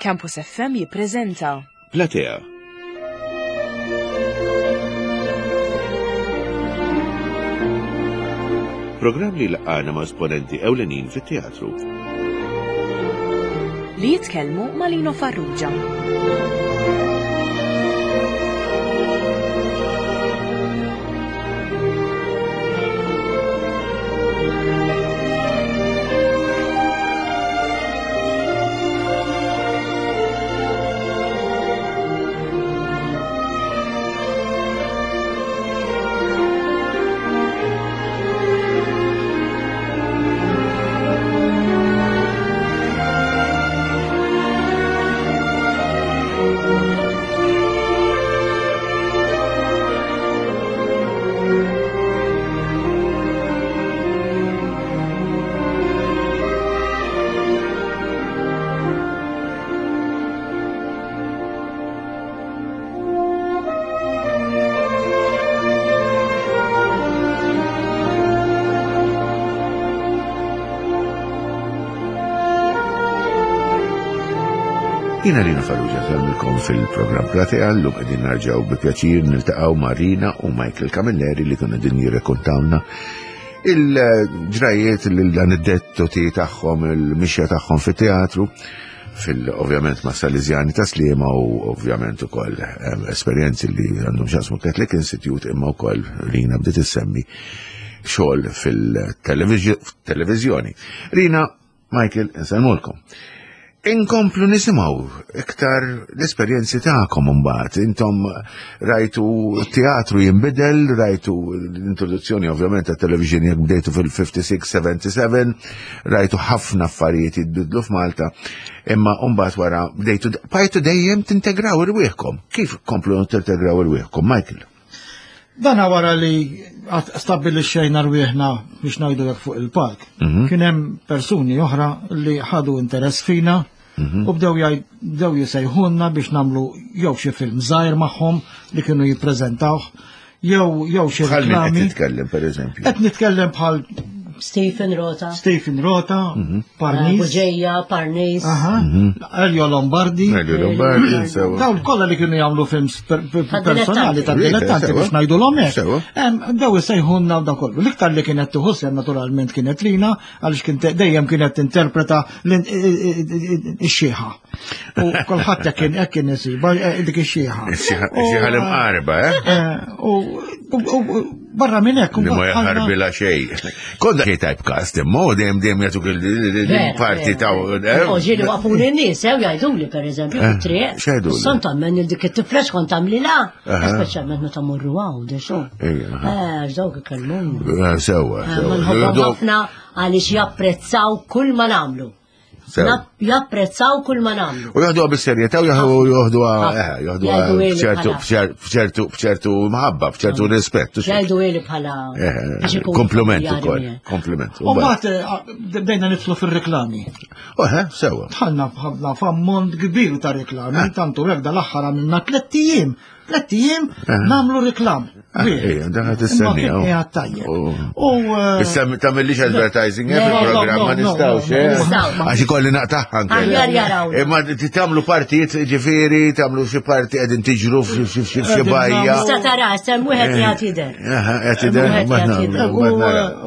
Campus FM jippreżenta Platea. Programm li laqana ma' esponenti ewlenin fit-teatru. Li jitkellmu ma' Lino Farrugia. Jina Rina Farrugia nsellmilkom fil-programm Platea llum qegħdin narġgħu bi pjaċir niltaqgħu ma' Rina u Michael Camilleri li kienu qegħdin jirrekontawna il-ġrajiet l-aneddoti tagħhom, il-mixja tagħhom fit-teatru fil-ovvjament ma' Salesiani ta' Sliema u ovvjament ukoll ehm, esperjenzi li għandhom x'jaqsmu Catholic Institute imma wkoll Rina bdiet issemmi xogħol fil-televiżjoni. Rina Michael, insellmulkom. Inkomplu nisimgħu iktar l-esperjenzi tagħkom imbagħad. Intom rajtu teatru jinbidel, rajtu l-introduzzjoni ovvjament ta' television jekk bdejtu fil-56-77, rajtu ħafna affarijiet jitbidlu f'Malta, imma mbagħad wara bdejtu bajtu dejjem tintegraw irwieħkom. Kif komplu tintegraw irwieħkom, Michael? Dana wara li stabbilixxejna rwieħna biex ngħidu hekk fuq il-palk. Mhm. Kien hemm persuni oħra li ħadu interess fina mhm. u bdew bdew jisejħulna biex nagħmlu jew xi film żgħir magħhom li kienu jippreżentawh jew jew xi reklami. Qed nitkellem pereżempju. Qed nitkellem bħal Stephen Rota. Stephen Rota, mhm. Parnis. Buġeja, Parnis. Mhm. Elio Lombardi. Elio Lombardi, sewa. Dawn kollha li kienu jagħmlu films personali ta' dilettanti biex ngħidu l hekk. Daw isejħunna u da kollu. L-iktar li kienet tieħu sehem naturalment kienet Lina għaliex kien dejjem kienet tinterpreta x-xieħa. U kulħadd hekk kien hekk kien isiba eh, dik ix-xieħa. Ix-xieħa l-imqarba, eh? eh? U barra minn hekk. Li ma jaħarbilha xejn. Konda xej typecast, imma u dejjem dejjem jagħtuk il-parti ta' eh? U ġieli waqfuni n-nies, ew jgħiduli pereżempju eh, fit-triq. X'jgħiduli? Son tagħmel dik it-tifla x'kont tagħmlilha, speċjalment meta morru għaw, dex. Eh, dawk ikellmuni. Sewwa, sewwa. Ħafna għaliex japprezzaw kull ma nagħmlu. Japprezzaw kull ma nagħmlu. U joħduha bis-serjetà u joħduha eh, joħduha b'ċertu b'ċertu b'ċertu mħabba, b'ċertu rispett. Jgħidu ili bħala eh, kompliment ukoll, kompliment. U mbagħad eh, bdejna nidħlu fir-reklami. Oħe, sewa. Dħalna f'ħafna f'ammont kbir ta' reklami, tantu hekk dal-aħħar għamilna tlett ijiem Tlett ijiem eh. nagħmlu reklam. Ah, ejja, dan qed issemmi. Tajjeb. U eh, issa tagħmillix advertising eh, fil-programm ma nistgħux. Għax ikolli naqtaħ anke. Imma tagħmlu partijiet ġifieri, tagħmlu xi parti qegħdin tiġru f'xi bajja. Issa tara, sem wieħed jagħti jidher. Qed jidher,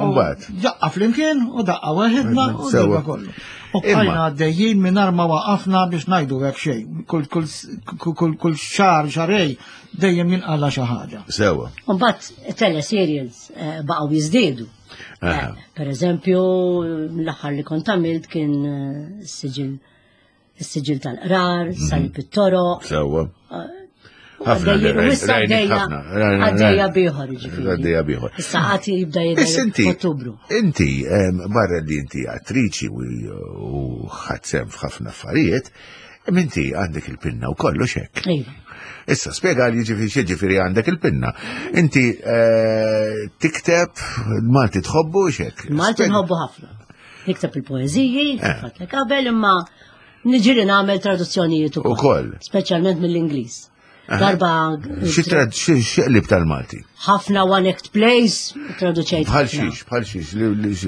mbagħad. Daqqa flimkien u daqqa waħedna u daqqa kollu. U bqajna għaddejjin mingħajr ma waqafna biex ngħidu hekk xejn. Kull xahar xarej dejjem jinqala xi ħaġa. Sewa. Mbagħad teleserials eh, baqgħu jiżdiedu. Eh, per eżempju, l-aħħar li kont għamilt kien eh, siġil is-siġil tal-qrar, mhm. salib it-toro. Sewa. Ħafna għaddejja bieħor ġifieri. Għaddejja bieħor. Issa għati jibda jidher f'Ottubru. Inti, barra li inti attriċi u ħadd f'ħafna affarijiet, inti għandek il-pinna u kollox hekk. Iva. Issa, spiega li ġifieri xi ġifieri għandek il-pinna. Inti eh, tikteb, Malti tħobbu xek. Malti nħobbu ħafna. Nikteb il-poeżiji, eh. fatlek qabel, imma niġri nagħmel traduzzjonijiet ukoll. Ukoll. Speċjalment mill-Ingliż. Darba. Xi xeqlib tal-Malti? Ħafna one act plays, traduċejt. Bħal xiex, bħal xiex.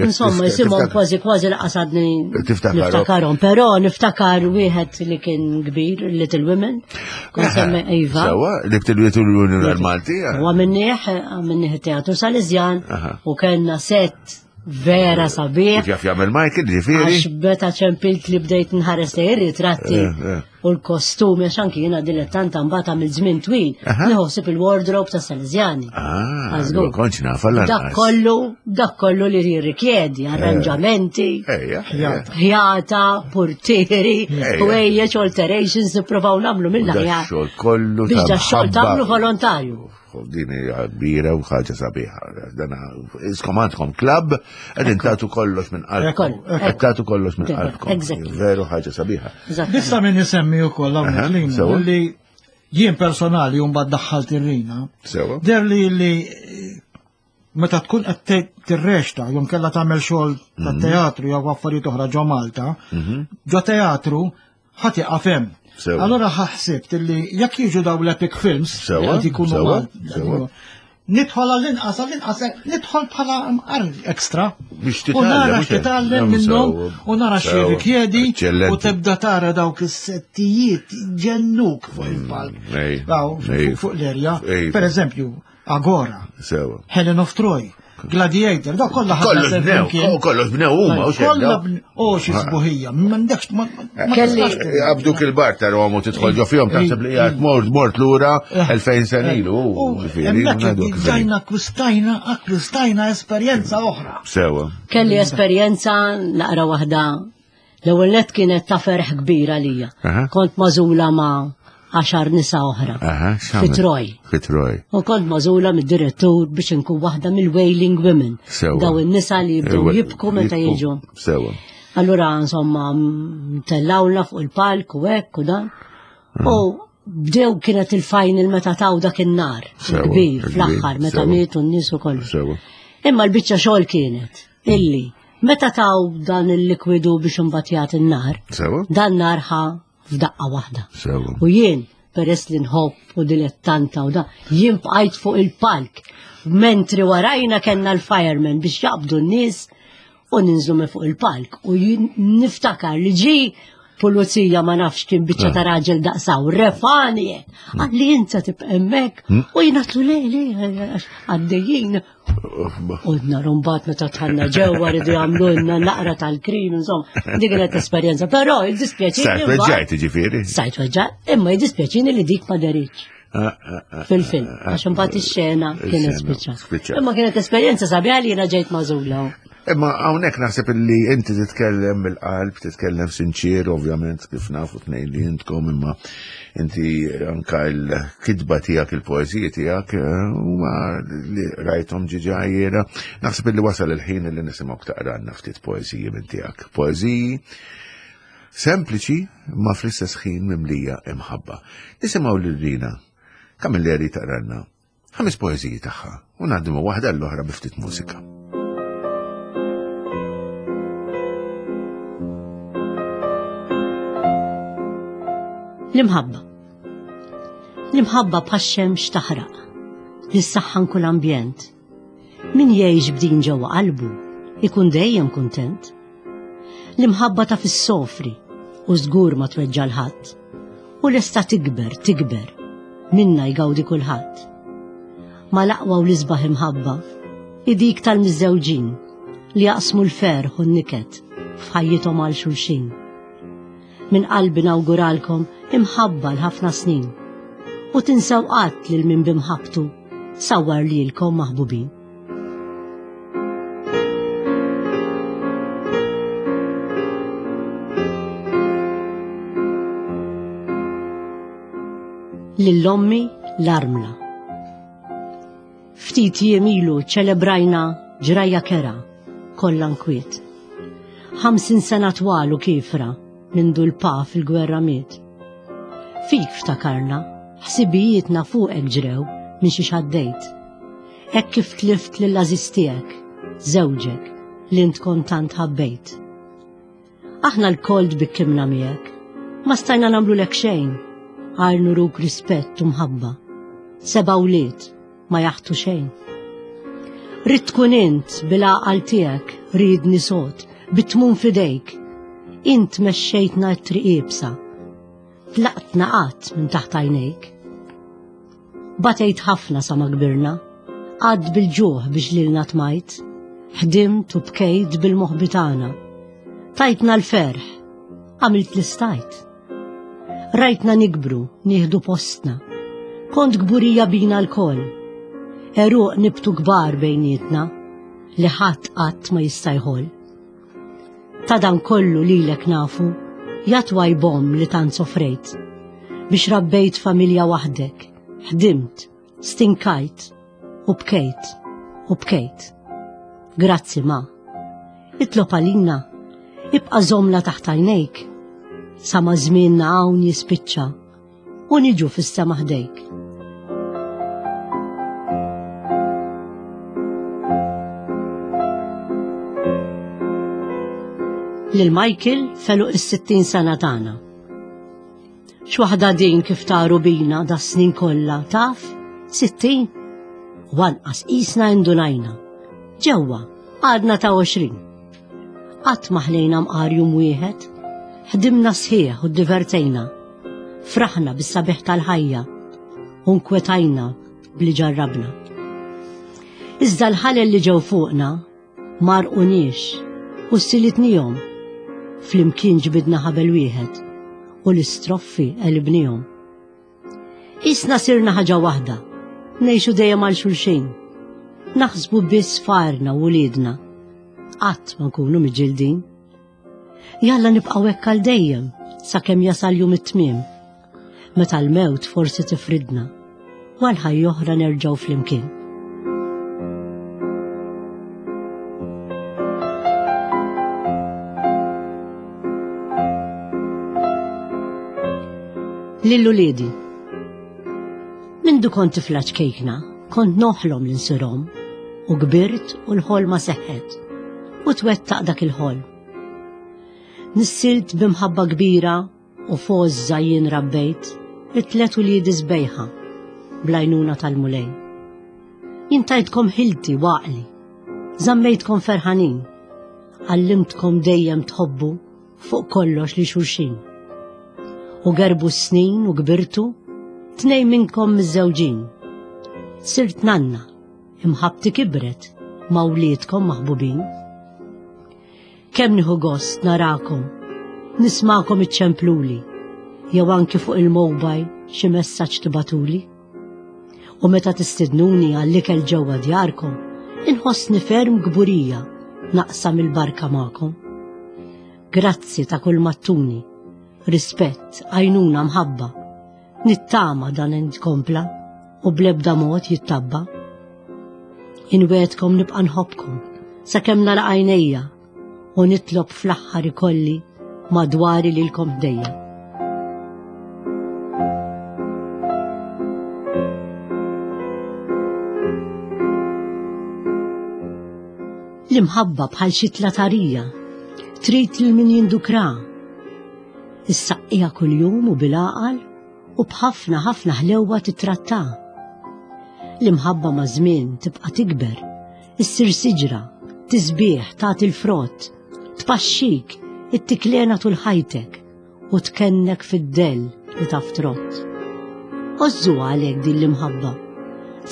Insomma, jisimhom kważi kważi laqasadni. Niftakarhom, però niftakar wieħed li kien kbir, Little Women. Kont semmi Iva. Sewa, Little Women l-Malti. U għamilnieh, għamilnieh teatru Salesjan u kellna set vera sabiħ. Kif jaf jagħmel Michael, ġifieri. Għax meta ċempilt li bdejt nħares lejn ir-ritratti eh, eh. u l-kostumi għax anki jiena dilettanta mbagħad għamil żmien twil, nieħu il-wardrobe ta' Salesiani. Ah, kontx naf Dak kollu, dak kollu li jirrikjedi, eh. arranġamenti, ħjata, portieri, ħwejjeġ, alterations, nippruvaw nagħmlu mill-aħjar. Xogħol kollu. Biex da xogħol tagħmlu volontarju. Din hija kbira u ħaġa sabiħa. Dan iskom għandkom klabb qegħdin tagħtu kollox minn qalbkom. Qed tagħtu kollox minn qalbkom. Veru ħaġa sabiħa. Issa min isemmi wkoll hawnhekk li jien personali u mbagħad daħħalt ir-rina. Der li li meta tkun qed tirrexta jew kellha tagħmel xogħol ta' mhm. teatru jew affarijiet oħra ġo Malta, mhm. ġo teatru ħadd jaqaf hemm. Allora ħsibt illi jekk jiġu daw l-epic films qed ikunu nidħol għall-inqas, għall-inqas, nidħol bħala mqar ekstra. Biex titgħallem. U nara x'titgħallem minnhom u nara x'rikjedi u tibda tara dawk is-settijiet ġennuk fuq il-palk. Mm, fuq l-erja. Per eżempju, Agora. Sewa. Helen of Troy. Gladiator, da kollha ħadna bnew, kollox bnew huma u Kollha u xi sbuħija, m'għandekx Kelli Abduk il-bar tarahom u tidħol ġo fihom taħseb li qiegħed mort mort lura 2000 sena ilu. Ġajna akkwistajna akkwistajna esperjenza oħra. Sewa. Kelli esperjenza naqra waħda L-ewwel nett kienet ta' ferħ kbir għalija. Kont magħżula ma' għaxar nisa oħra. Fi Troj. Fi Troj. U kont magħżula mid-direttur biex inkun waħda mill-Wailing Women. Daw in-nisa li jibdew jibku meta jiġu. Sewa. Allura insomma tellawna fuq il-palk u hekk u dan. U bdew kienet il-final meta taw dak in-nar. Kbir fl-aħħar meta mietu n-nies ukoll. Imma l-biċċa xogħol kienet illi Meta taw dan il-likwidu biex imbagħad jagħti n-nar, dan nar ħa f'daqqa waħda. U jien peress li nħobb u dilettanta u da, jien bqajt fuq il-palk. Mentri warajna kellna l-firemen biex jaqbdu n-nies u ninżlu minn fuq il-palk. U jien niftakar li ġi pulizija ma nafx kien biċċa ta' raġel daqsaw, refani, għalli inta tibqa' hemmhekk hmm. u jien le le għaddejjin U narumbat meta tħanna ġewwa rridu jagħmlulna naqra tal-krin, insomma, dik kienet esperjenza. Però jiddispjaċini. Sajt weġġajt ġifieri. Sajt weġġajt, imma jiddispjaċini li dik ma deritx. Ah, ah, ah, Fil-film, għax imbagħad ix-xena kienet spiċċa. Imma kienet esperjenza sabiħa li jiena ġejt magħżula. Imma hawnhekk naħseb illi inti titkellem mill-qalb, titkellem sinċir, ovvjament kif nafu tnejn li intkom, imma inti anka l-kitba tiegħek, il-poeżiji tiegħek eh, huma li rajthom ġiġa jiena. Naħseb illi wasal il-ħin li nisimgħu taqranna ftit poeżiji minn tiegħek. Poeżiji sempliċi ma fl-istess ħin mimlija imħabba. Nisimgħu lil Rina Camilleri taqranna Ħames poeżiji tagħha u ngħaddu ma' waħda l-oħra bi ftit mużika. L-imħabba. L-imħabba bħax-xemx taħraq, li ssaħħan kull ambjent. Min jgħix b'din ġewwa qalbu, ikun dejjem kuntent. L-imħabba taf issofri u żgur ma tweġġa' l-ħadd. U lesta tikber, tikber, minna jgawdi kulħadd. Ma l-aqwa u l-isbaħ imħabba hi dik tal-miżżewġin li jaqsmu l-ferħ u n-niket f'ħajjithom għal xulxin. Minn qalbi nawguralkom imħabba l-ħafna snin u tinsew qatt lil min b'imħabbtu sawwar lilkom maħbubin. Lil ommi l-armla. Ftit jiem ilu ċelebrajna ġrajja kera kollha nkwiet. 50 sena twal u kiefra mindu l-pa fil-gwerra miet. Fik ftakarna, ħsibijietna fuqek ġrew minn xiex għaddejt. Hekk kif tlift lill-għażiż tiegħek, żewġek, li int kont tant ħabbejt. Aħna lkoll tbikkimna miegħek. Ma stajna nagħmlulek xejn. Għajr nuruk rispett u mħabba. Seba' wlied ma jaħtu xejn. Ridt tkun int bil-għaqal tiegħek riedni sod, bit-tmun f'idejk. Int mexxejtna t-triq iebsa. Tlaqtna qatt minn taħt għajnejk. Batejt ħafna sa ma kbirna, għadd bil-ġuħ biex lilna tmajt, ħdimt u bkejt bil-moħbi tagħna. Tajtna l-ferħ, għamilt li stajt. Rajtna nikbru, nieħdu postna. Kont kburija bina lkoll. Għeruq nibtu kbar bejnietna li ħadd qatt ma jista' jħoll. Ta' dan kollu lilek nafu, ja twajbom li tant sofrejt. Biex rabbejt familja waħdek, ħdimt, Stinkajt u bkejt u bkejt. Grazzi ma. Itlob għalina, ibqa' żommna taħt għajnejk. Sa ma żmienna hawn jispiċċa u niġu fis-sema ħdejk. Lil Michael felu is-60 sena tagħna. X'waħda din kif taru bina da snin kollha, taf? 60? U anqas qisna indunajna. Ġewwa, għadna ta' 20. Qatt ma ħlejna mqar jum wieħed, ħdimna sħiħ u ddivertejna. Fraħna bis-sabiħ tal-ħajja u nkwetajna bli ġarrabna. Iżda l-ħalel li ġew fuqna M'għarquniex u ssilitnihom, flimkien ġbidna ħabel wieħed u l-istroffi għelibnihom. Qisna sirna ħaġa waħda, ngħixu dejjem għal xulxin. Naħsbu biss f'għarna u wliedna. Qatt ma nkunu miġġildin. Jalla nibqgħu hekk għal dejjem sakemm jasal jum it-tmiem. Meta l-mewt forsi tifridna, u għal ħajja oħra nerġgħu flimkien. Lil uliedi. Mindu kont tifla ċkejkna, kont noħlom li nsirhom u kbirt u l-ħolma seħħet u twettaq dak il-ħolm. Nissilt b'imħabba kbira u f'għożża jien rabbejt it-tlet uliedi sbejħa bl-għajnuna tal-Mulej. Jien tajtkom ħilti u għaqli, żammejtkom ferħanin, għallimtkom dejjem tħobbu fuq kollox li xulxin. U gerbu s-snin u kbirtu, tnej minnkom miżżewġin. Sirt nanna, imħabbti kibret ma' wliedkom maħbubin. Kemm nieħu gost narakom, nismagħkom iċċempluli, jew anki fuq il-mobile xi messaġġ tibatuli. U meta tistidnuni għall-ikel ġewwa djarkom, inħossni ferm kburija naqsam il-barka magħkom. Grazzi ta' kull mattuni, rispett, għajnuna mħabba. Nittama dan intkompla u bl-ebda mod jittabba. Inwedkom nibqa' nħobbkom sakemm nagħlaq għajnejja u nitlob fl-aħħar ikolli madwari lilkom ħdejja. L-imħabba bħal xi tlatarija trid lil min jindukra. Issaqqija kuljum u bil-għaqal u b'ħafna ħafna ħlewwa titrattha. L-imħabba maż-żmien tibqa' tikber, issir siġra, tisbieħ, tagħti l-frott, tpaxxik, ittiklena tul ħajtek u tkennek fid-dell li taf trott. Għożżuha għalhekk din l-imħabba.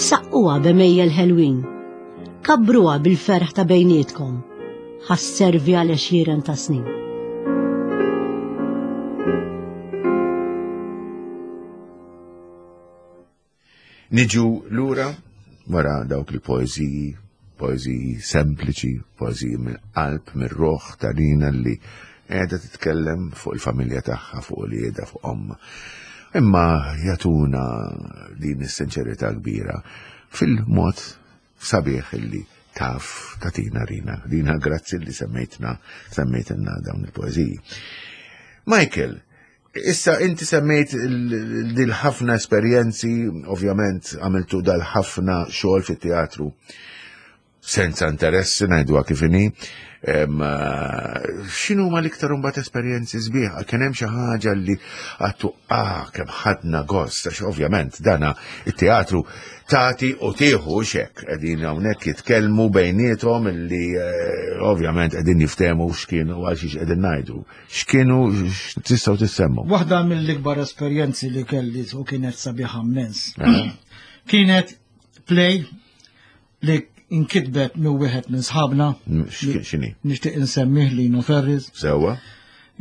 Saqquha b'għemejjel ħelwin. Kabbruha bil-ferħ ta' bejnietkom. Ħa sservi għal għexieren ta' snin. Niġu lura wara dawk il-poeżiji, poeżiji sempliċi, poeżiji mill-qalb, mir-ruħ ta' Rina li qiegħda titkellem fuq il-familja tagħha, fuq uliedha, fuq ommha. Imma jagħtuna din is-sinċerità kbira fil-mod sabiħ illi taf tatina Rina. Rina, grazzi li semmejtna, semmejtilna dawn il-poeżiji. Michael, issa inti semmejt dil-ħafna esperjenzi, ovvjament għamiltu dal-ħafna xogħol fit-teatru. Senza interessi ngħiduha kif inhi. Eh, x'inhu ma l-iktar imbagħad esperjenzi sbieħ? Kien hemm xi ħaġa li għattu ah kemm ħadna gost għax ovvjament dana it-teatru tagħti u tieħu xek qegħdin hawnhekk jitkellmu bejniethom illi eh, ovvjament qegħdin jiftehmu x'kienu għal xiex qegħdin ngħidu. X'kienu tistgħu tissemmu. Waħda mill-ikbar esperjenzi li kelli u kienet sabiħa immens. Kienet play li inkitbet minn wieħed minn sħabna. Mm, x'inhi? Nixtieq insemmih Lino Ferris. Sewwa.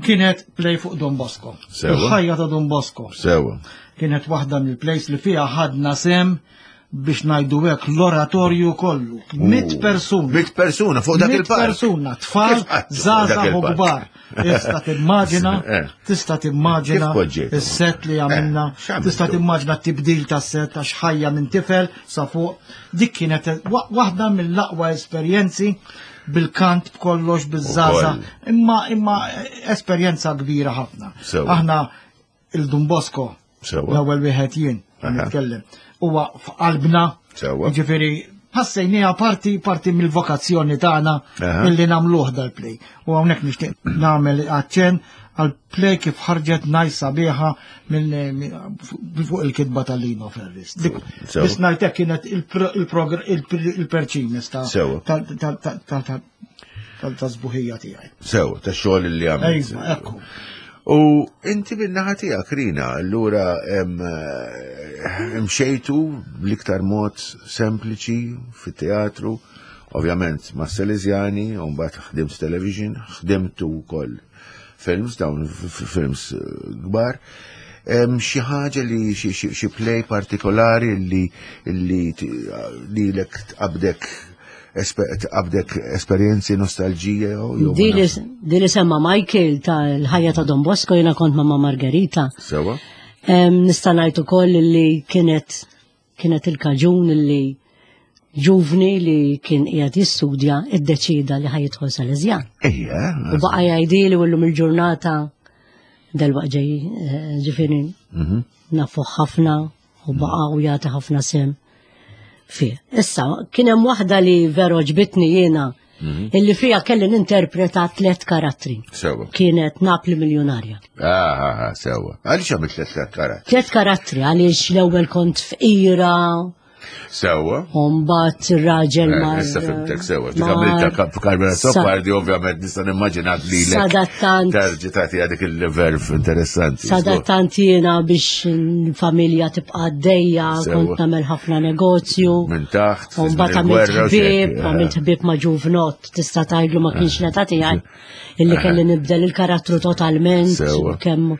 Kienet play fuq Don Bosco. Sewwa. Il-ħajja ta' Don Bosco. Sewwa. Kienet waħda mill-plays li fiha ħadna sem biex ngħidu hekk l-oratorju kollu. Mit persuna. Mit persuna fuq dak il-park. Mit persuna, tfal, żgħażagħ u kbar. Tista' timmaġina, eh. tista' timmaġina is-set li għamilna, eh, tista' timmaġina t-tibdil tas-set għax ħajja minn tifel sa fuq. Dik kienet waħda mill-aqwa esperjenzi bil-kant b'kollox biż-żaza, imma imma esperjenza kbira ħafna. Aħna il-Dun Bosco, l-ewwel wieħed jien nitkellem, huwa f'qalbna, ġifieri ħassejniha parti parti mill-vokazzjoni tagħna illi nagħmluh dal-play. U hawnhekk nixtieq nagħmel aċċenn għal play kif ħarġet najs sabiħa minn fuq il-kitba tal-Lino Ferris. Biss ngħidlek kienet il-perċimis ta' tal-sbuħija tiegħi. Sew, ta' xogħol li għamilt. Ejwa, ekku. U inti min-naħa tiegħek Rina, allura eh, mxejtu bl-iktar mod sempliċi fit-teatru, ovvjament ma' Salesiani, u mbagħad ħdimt television, ħdimtu wkoll films, dawn films eh, kbar. Xi ħaġa li xi play partikolari li li lilek tqabdek tqabdek esperjenzi nostalġija jew Di li semma Michael tal-ħajja ta' Don Bosco jiena kont ma' Margherita. Sewa. Nista' ngħid ukoll li kienet kienet il-kaġun li ġuvni li kien qiegħed jistudja iddeċida li ħajidħol Salesjan. Ejja. U baqa' jgħidili u llum il-ġurnata delwaq ġej eh, ġifieri mhm. nafu ħafna u baqa' u jagħti ħafna sem fih. Issa, kien hemm waħda li veru ġbitni jiena mhm. illi fija kelli ninterpreta tliet karattri. Sewa. Kienet Napli miljonarja. Ah, ah, ah sewa. Għaliex għamilt tliet karattri? Tliet karattri għaliex l-ewwel kont fqira, Sewa. Umbat ir-raġel eh, ma. Issa fimtek sewa. Dik għamilta Carmela Soppardi, ovvjament nista' nimmaġinak li Sadattant. Terġi tagħti għadik il-verf interessanti. Sadattant jiena biex l-familja tibqa' għaddejja, kont nagħmel ħafna negozju. Minn taħt. Umbat għamilt ħbieb, għamilt ħbieb ma' ġuvnot, tista' tgħidlu ma kienx l-età tiegħi illi kelli nibdel il-karattru totalment. Kemm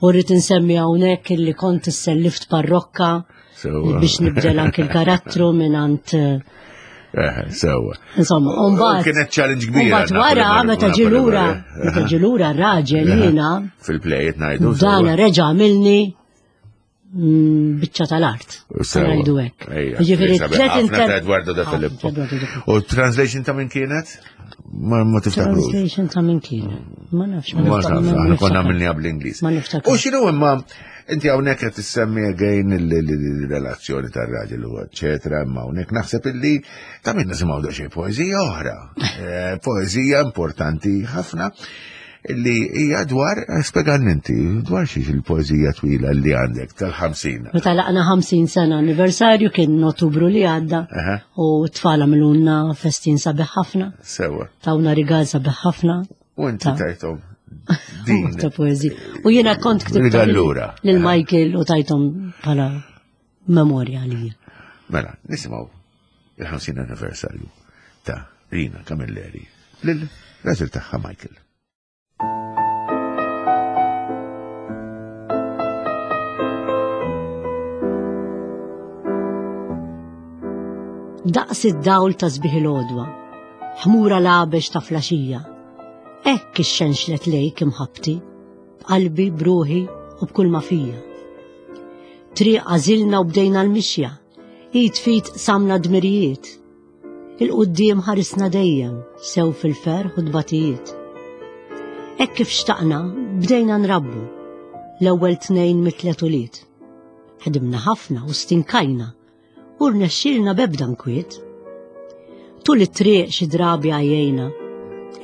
u rrid insemmi hawnhekk illi kont issellift parrokka. Biex nibdel anki l-karattru minn għand eh, eh, Sewa. Insomma, mbagħad. Kienet challenge kbira. Mbagħad wara meta ġilura, meta ġilura raġel jiena. Fil-play qed ngħidu. Dan reġa' għamilni mm, biċċa tal-art. Ngħidu hekk. Ġifieri tliet inter. Edwardo da Filippo. U translation ta' min kienet? Ma ma tiftakrux. Translation ta' min kienet. Ma nafx. Ma nafx, aħna konna għamilniha bl-Ingliż. Ma niftakrux. U x'inhu imma Inti hawnhekk qed tissemmi again il-relazzjoni tar-raġel u eċetera, imma hawnhekk naħseb illi ta' min nisimgħu daqsxejn poeżija oħra. Eh, poeżija importanti ħafna illi hija dwar eh, spjegalni inti dwar xiex il-poeżija twila li għandek tal-50. Meta laqna 50 sena anniversarju kien Ottubru li għadda u t-tfal għamlulna festin sabiħ ħafna. Sewa. Tawna rigal sabiħ ħafna. U inti tajthom din. Ta' poezija. U jiena kont ktibt Allura. lil Michael u tajthom bħala memorja għalija. Mela, nisimgħu il-50 anniversarju ta' Rina Camilleri lil raġel tagħha Michael. Daqs id-dawl ta' sbieħ il-għodwa, ħmura labex ta' flaxija. Hekk ixxenxlet lejk imħabbti, b'qalbi, b'ruħi u b'kull ma fija. Triq għażilna u bdejna l-mixja, id f'id qsamna dmirijiet. Il-quddiem ħarisna dejjem, sew fil-ferħ u tbatijiet. Hekk kif xtaqna, bdejna nrabbu, l-ewwel tnejn mit-tliet ulied. Ħdimna ħafna u stinkajna, u rnexxielna b'ebda nkwiet. Tul it-triq xi drabi għajjejna,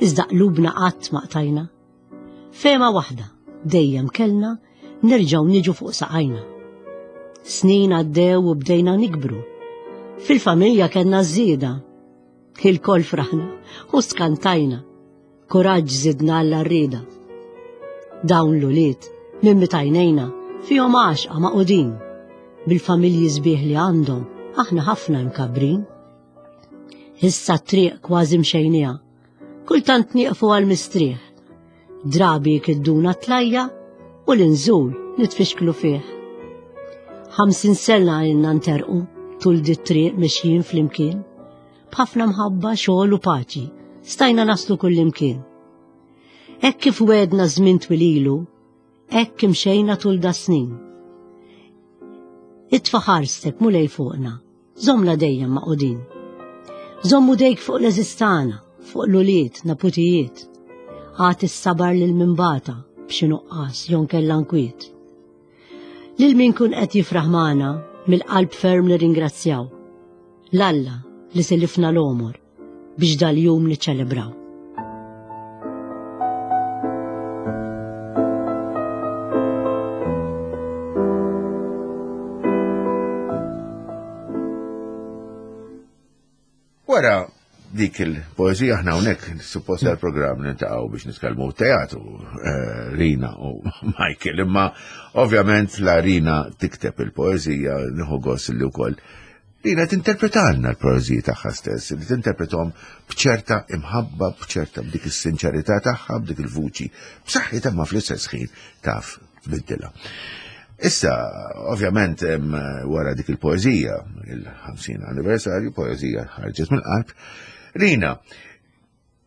iżda qlubna qatt ma qtajna. Fehma waħda dejjem kellna nerġgħu niġu fuq saqajna. Snin għaddew u bdejna nikbru. Fil-familja kellna żieda. Ilkoll fraħna u skantajna. Kuraġġ żidna għall-għarrieda. Dawn l-ulied, minn meta għajnejna, fihom għaxqa magħqudin. Bil-familji sbieħ li għandhom, aħna ħafna imkabbrin. Issa t-triq kważi mxejniha. Kultant nieqfu għal mistrieħ. Drabi jkidduna tlajja u l-inżul nitfixklu fih. 50 sena ilna nterqu tul dit-triq mixjin flimkien. B'ħafna mħabba, xogħol u paċi, stajna naslu kullimkien. Hekk kif wegħdna żmien twil ilu, hekk imxejna tul da snin. Itfa' ħarstek Mulej fuqna, żommna dejjem magħqudin. Żomm idejk fuq l-għeżież tagħna, fuq l-ulied, naputijiet. Agħti s-sabar lil min bata b'xi nuqqas jew nkella nkwiet. Lil min kun qed jifraħ magħna, mill-qalb ferm nirringrazzjaw. 'l Alla li silifna l-għomor biex dal-jum niċċelebraw. Wara dik il-poezija aħna hawnhekk suppost għall-programm niltaqgħu biex nitkellmu teatru eh, Rina u Michael, imma ovvjament la Rina tikteb il-poezija nieħu gost li wkoll Rina tinterpretalna l-poeziji tagħha stess, li tinterpretom b'ċerta imħabba, b'ċerta b'dik is-sinċerità tagħha, b'dik il-vuċi, b'saħħitha ma fl-istess ħin taf tbiddilha. Issa, ovvjament, wara dik il-poezija, il-50 anniversarju, poezija ħarġet mill-qalb, Rina,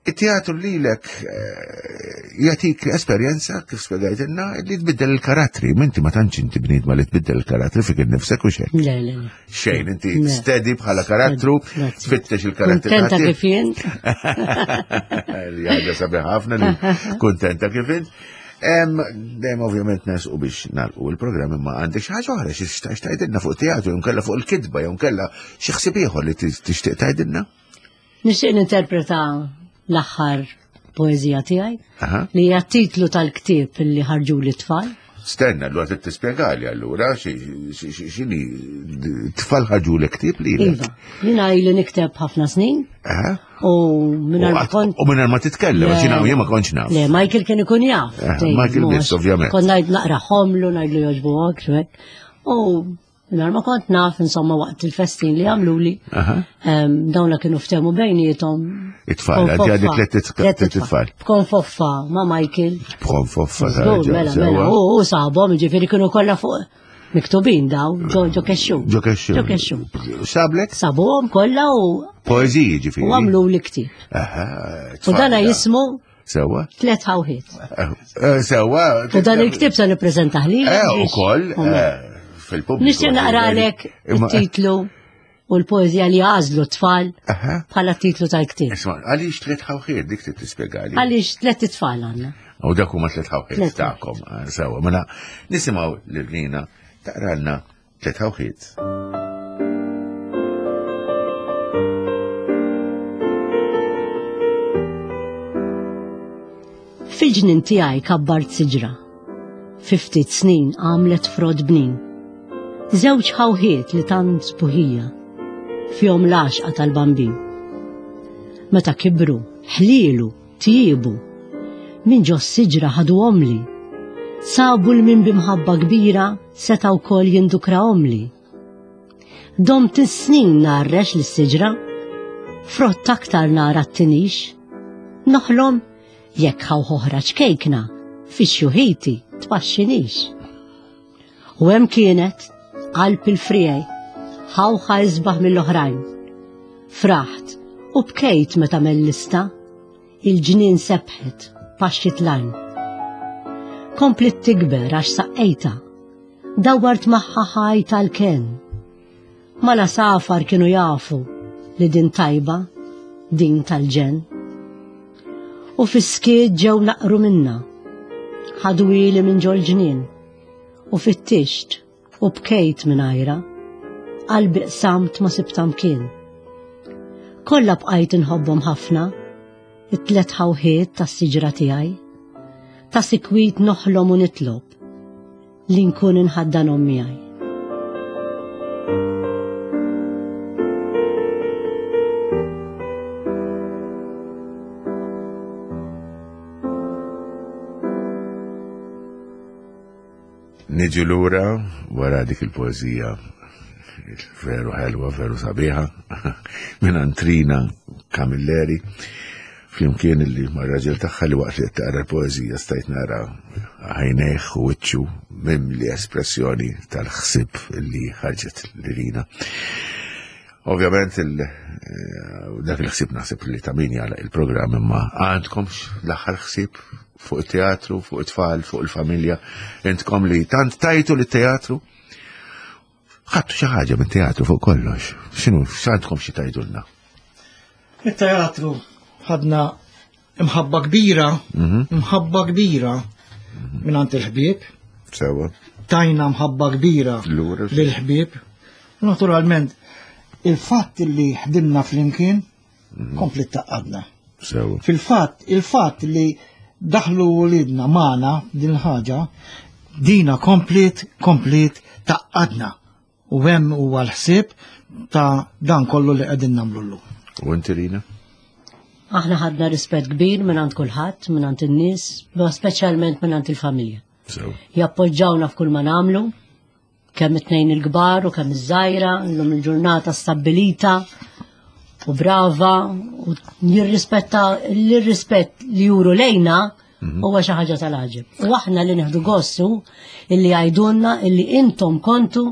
it-teatru lilek eh, jatik esperjenza kif spjegajtilna li tbiddel il-karattri. Minti ma tantx inti bniedma li tbiddel il-karattri fik innifsek u xejn. Le, le, le. Xejn, inti steady bħala karattru, tfittex il-karattri. Kuntenta kif int. Li ħaġa sabiħ ħafna li kuntenta kif int. Dejjem ovvjament nesqu biex nagħlqu il-programm imma għandek xi ħaġa oħra xi tgħidilna fuq teatru jew nkella fuq il-kitba jew nkella xi ħsieb ieħor li tixtieq tgħidilna? Nixtieq ninterpreta l-aħħar poeżija tiegħi li hija titlu tal-ktieb li ħarġu li tfal. Stenna, allura trid tispjegali allura x'inhi tfal ħarġu l ktieb li. Iva, jiena ili nikteb ħafna snin. U mingħajr ma kont. U mingħajr ma titkellem, għax jiena jien ma kontx naf. Le, Michael kien ikun jaf. Michael biss, ovvjament. Kont ngħid naqra ħomlu, ngħidlu jogħġbu hekk, U Nar ma kont naf, insomma, waqt il-festin li għamluli, dawna kienu ftemu bejnietom. It-tfal, għaddi għaddi tlet it-tfal. B'konfoffa ma' Michael. B'konfoffa, mela, mela, u saħbom, ġifiri kienu kollha fuq miktubin daw, ġo kexxu. Ġo kexxu. Ġo kexxu. Sablek? Sabuhom kollha u. Poeziji ġifiri. U għamlu li ktib. U dana jismu Sewa. Tlet ħawħiet. Eh, eh, sewa. U dan il-ktib se nippreżentah li. Eh, ukoll fil-pubbliku. Nixtieq naqralek it-titlu u l-poezija li għażlu t-tfal bħala titlu tal-ktieb. Isma' għaliex tlet ħawħiet dik trid tispjegali. Għaliex tlet itfal għandna. U dak huma tlet ħawħiet tagħkom. Sewa, mela nisimgħu lil Rina taqralna Tlet ħawħiet. Fil-ġnien tiegħi kabbart siġra. Fi ftit snin għamlet frott bnin. Żewġ ħawħiet li tant sbuħija fihom l-għaxqa tal-bambin. Meta kibru, ħlielu, tjiebu. Minn ġo s-siġra ħaduhomli. Sabu 'l min b'imħabba kbira seta' wkoll jindukrahomli. Domt is-snin ngħarrex lis-siġra, frott aktar nara t-tinix. Noħlom jekk ħawħ oħra ċkejkna fi xjuħiti tpaxxinix. U hemm kienet, qalb il-friegħi, ħawħa isbaħ mill-oħrajn. Fraħt u bkejt meta mellista, il-ġnien sebħet, paxxit l-għajn. Komplit tikber għax saqqejta, dawwart magħha ħaj tal-ken. Mal-għasafar kienu jafu li din tajba, din tal-ġenn. U fis-skiet ġew naqru minna, ħadwili minn ġol-ġnien, u fittixt u bkejt mingħajrha, qalbi qsamt ma sibtha mkien. Kollha bqajt inħobbhom ħafna, it-tlet ħawħiet tas-siġra tiegħi. Ta' sikwit noħlom u nitlob li nkun inħaddanhom miegħi. Niġu lura wara dik il-poeżija veru ħelwa, veru sabiħa, minn Antrina Camilleri, flimkien li ma' raġel tagħha li waqt li qed taqra l-poeżija stajt nara għajnejh u wiċċu mimli espressjoni tal-ħsieb li ħarġet lilina. Ovvjament eh, dak il-ħsieb naħseb li ta' min jagħlaq il-programm imma għandkomx l-aħħar ħsieb fuq it-teatru, fuq it-tfal, fuq il-familja, intkom li tant tajtu li teatru ħadtu xi ħaġa mit-teatru fuq kollox. X'inhu x'għandkom xi tajdulna? It-teatru ħadna imħabba kbira, mhm. imħabba kbira minn għand il-ħbieb. Sewa. Tajna mħabba kbira lill-ħbieb. Naturalment, il-fatt li ħdimna flimkien mhm. kompli taqqadna. Fil-fatt, il-fatt li daħlu wulidna magħna din il-ħaġa, dina komplit, komplit taqqadna. U hemm huwa l-ħsieb ta' dan kollu li qegħdin nagħmlu llum. U inti Rina? Aħna ħadna rispett kbir minn għand kulħadd, minn għand in-nies, ma speċjalment minn għand il-familja. Jappoġġawna f'kull ma nagħmlu, kemm it-tnejn il-kbar u kemm iż-żgħira, llum il-ġurnata stabbilita u brava u jirrispetta l-rispett li juru lejna mhm. huwa xi ħaġa tal-għaġeb. U aħna li nieħdu gossu illi għajdunna illi intom kontu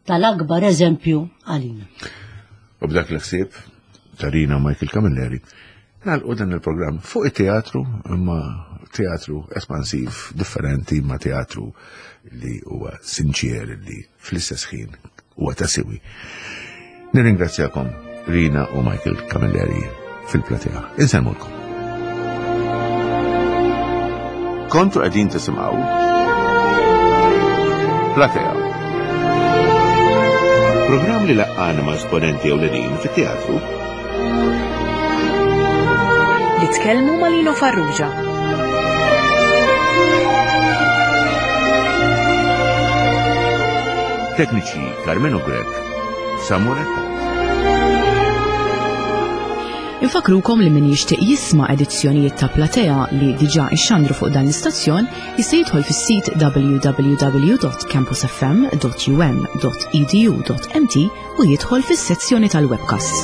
tal-akbar eżempju għalina. U b'dak l-ħsieb tarina Michael Camilleri, nagħlqu dan il-programm fuq it-teatru imma teatru espansiv differenti ma teatru li huwa sinċier li fl-istess ħin huwa ta' siwi. Nirringrazzjakom Rina u Michael Camilleri fil-platea. Insellmulkom. Kontu qegħdin tisimgħu Platea. Programm li laqqana ma' esponenti ewlenin fit-teatru. Li tkellmu ma' Lino Farrugia. Tekniċi Carmenu Grech, Samuel Infakrukom li min jixtieq jisma' edizzjonijiet ta' Platea li diġà ixxandru fuq dan l-istazzjon jista' jidħol fis-sit www.campusfm.um.edu.mt u jidħol fis-sezzjoni tal-webcasts.